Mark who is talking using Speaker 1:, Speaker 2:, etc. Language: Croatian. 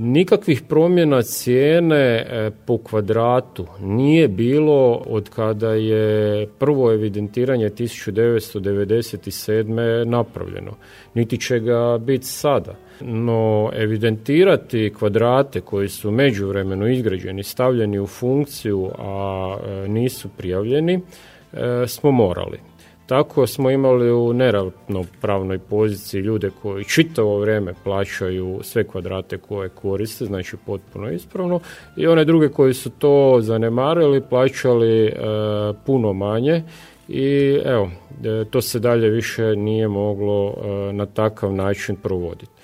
Speaker 1: Nikakvih promjena cijene po kvadratu nije bilo od kada je prvo evidentiranje 1997. napravljeno, niti će ga biti sada. No, evidentirati kvadrate koji su u međuvremenu izgrađeni, stavljeni u funkciju, a nisu prijavljeni, smo morali. Tako smo imali u neravnopravnoj poziciji ljude koji čitavo vrijeme plaćaju sve kvadrate koje koriste, znači potpuno ispravno, i one druge koji su to zanemarili, plaćali puno manje i evo, to se dalje više nije moglo na takav način provoditi.